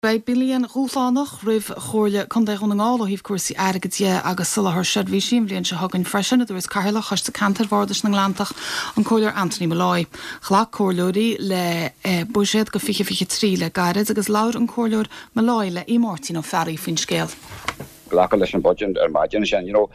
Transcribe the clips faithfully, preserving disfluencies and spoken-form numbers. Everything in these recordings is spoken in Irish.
Beidh bliain dhúshlánach roimh Chomhairle Contae Dhún na nGall ó thaobh cúrsaí airgid de agus soláthar seirbhísí an bhliain seo chugainn freisin a dúirt Cathaoirleach Choiste Ceantair Bhardais na nGleanntach an Comhairleoir Anthony Molloy. Ghlac comhairleoirí le eh, buiséad do fiche fiche trí le gairid agus labhair an Comhairleoir Molloy le í Máirtín Ó Fearraigh faoin scéal. Glacadh leis an budget ar maidin sin you know,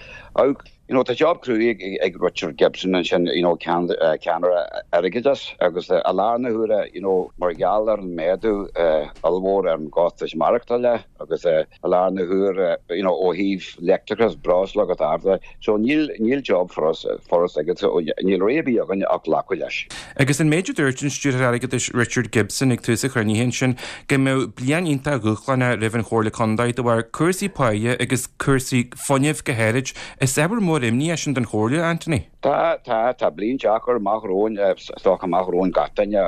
you know, tá job crua ag, ag Richard Gibson ansin you know, cean, uh, ceannaire airgeadais agus uh, i láthair na huaire you know, mar gheall ar an méadú uh, ollmhór ar an gcostas maireachtála agus uh, i láthair na huaire you know, ó thaobh leictreachas breosla agus araile so níl níl job furast furast aige so níl rogha ar bith againn ach glacadh leis. Agus an méid a dúirt an stiúrthóir airgeadais Richard Gibson ag tús an chruinnithe sin go mbeadh bliain iontach dhúshlánach roimh an Chomhairle Contae de bharr cúrsaí páighe agus cúrsaí fuinnimh go háirid is ábhar mór imní é sin don Chomhairle Anthony. Tá tá tá bliain deacair amach romhainn stoch amach romhainn gach duine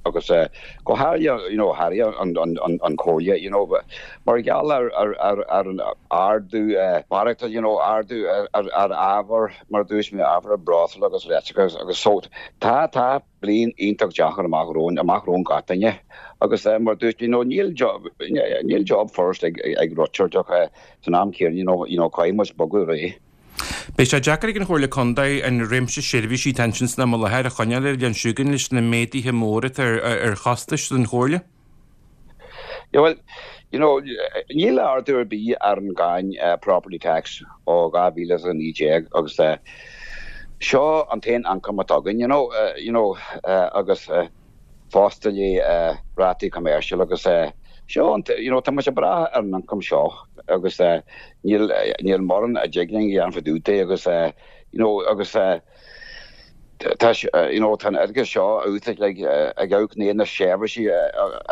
agus go háirithe you know háirithe an an an an Chomhairle you know mar gheall ar ar ar ar an ardú maireachta you know ardú ar ar ábhar mar dúirt mé ábhar breosla agus leictreachas agus so tá tá bliain iontach deacair amach romhainn amach romhainn gach duine agus mar dúirt you know níl job níl job furast ag ag Richard ach san am céanna you know you know caithfidh muid bogadh ar aghaidh. Beidh sé deacair ag an Chomhairle Contae an réimse seirbhísí tensin na láthair a choinneáil ar an siúgan leis na méaduithe móra ar ar chostais don Chomhairle? Yeah, well, you know, níl ardú ar bith ar an gcáin uh, property tax ó dhá mhíle a naoi déag agus uh, seo an t-aon ioncam atá againn, you know, uh, you know, uh, agus uh, fosta le uh, rátaí commercial agus uh, seo an you know, tá muid ag brath ar an ioncam seo agus uh, níl níl mórán a dtig linn a dhéanamh fá dtaobh de agus uh, you know, agus uh, tá you know, tá airgead seo út ag ag ag na seirbhísí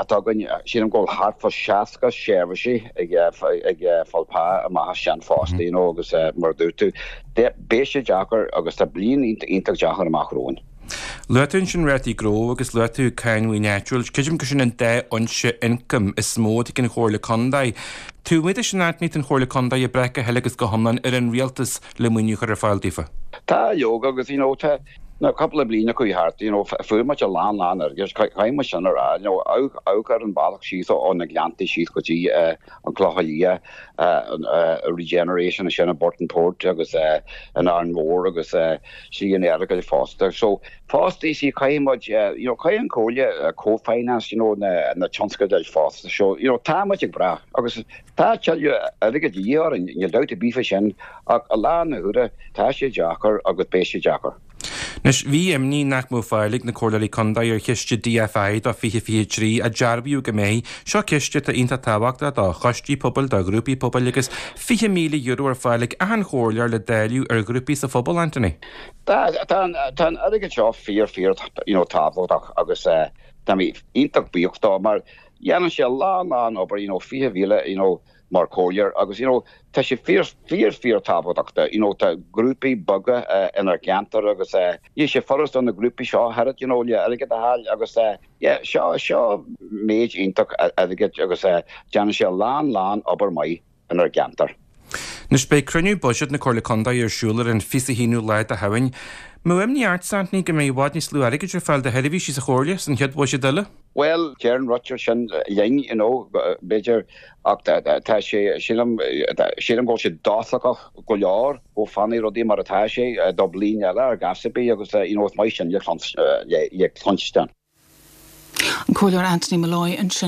atá againn sin go thart fá seasca seirbhísí ag ag fáil pá amach sin fosta you know, agus mar dúirt tú beidh sé deacair agus tá bliain iontach deacair amach romhainn. Luaigh tú ansin rátaí gnó agus luaigh tú cáin mhaoin áitiúil, Creidim go sin an dá fhoinse ioncaim is mó ag an Chomhairle Contae. Tú muid sin ní an Chomhairle Contae ag brath go huile agus go hiomlán ar an rialtas le maoiniú chur ar fáil daofa. Tá leoga agus you know, tá na cúpla bliain chuaigh thart you know, fuair muid a lán lán agus caithfidh sin a rá you know, ar an bealach síos ó na Gleannta síos go dtí uh, an Clochán Liath uh, uh, regeneration sin i Burtonport agus uh, an Árainn Mhór agus uh, sí an aige fosta. So fosta sí caithfidh uh, you know, caithfidh an Chomhairle uh, co-finance you know, na, na tionscadail fosta. So you know, tá muid ag brath agus tá tuilleadh airgid de dhíth orainn níl dabht ar bith faoi sin ach i láthair na huaire tá sé deacair agus beidh sé deacair. Anois bhí imní nach mbeadh fáil ag na comhairleoirí contae ar chiste DFI do fiche fiche trí a dearbhaíodh go mbeidh, seo ciste atá iontach tábhachtach do choistí pobail do ghrúpaí pobail agus fiche míle euro ar fáil ag achan chomhairleoir le dáileadh ar ghrúpaí sa phobal Anthony. Tá an airgead seo fíor fíor tábhachtach agus tá mé iontach buíoch dó mar dhéanann sé lán lán obair you know, fiche míle you know, mar chomhairleoir agus you know, tá sé fíor fíor fíor tábhachtach you know, tá grúpaí beaga uh, inár gceantar agus uh, ní sé furast do na grúpaí seo thar you know, le airgead a fháil agus uh, yeah, seo seo méid iontach airgid agus uh, déanann sé lán lán obair maith inár gceantar. Anois beidh cruinniú buiséid na Comhairle Contae ar siúl ar an fiche haonú lá de Shamhain. Mó imní ort Anthony go mbeidh i bhfad níos lú airgid ar fáil do sheirbhísí sa Chomhairle san chéad bhuiséad eile? Well deireann Richard sin linn you know, b'fhéidir ach tá sé sílim sílim go sé dóchasach go leor go bhfanfaidh rudaí mar atá sé do bliain eile ar gasbí agus you know, maith sin le le cluinstin. An Comhairleoir Anthony Molloy ansin.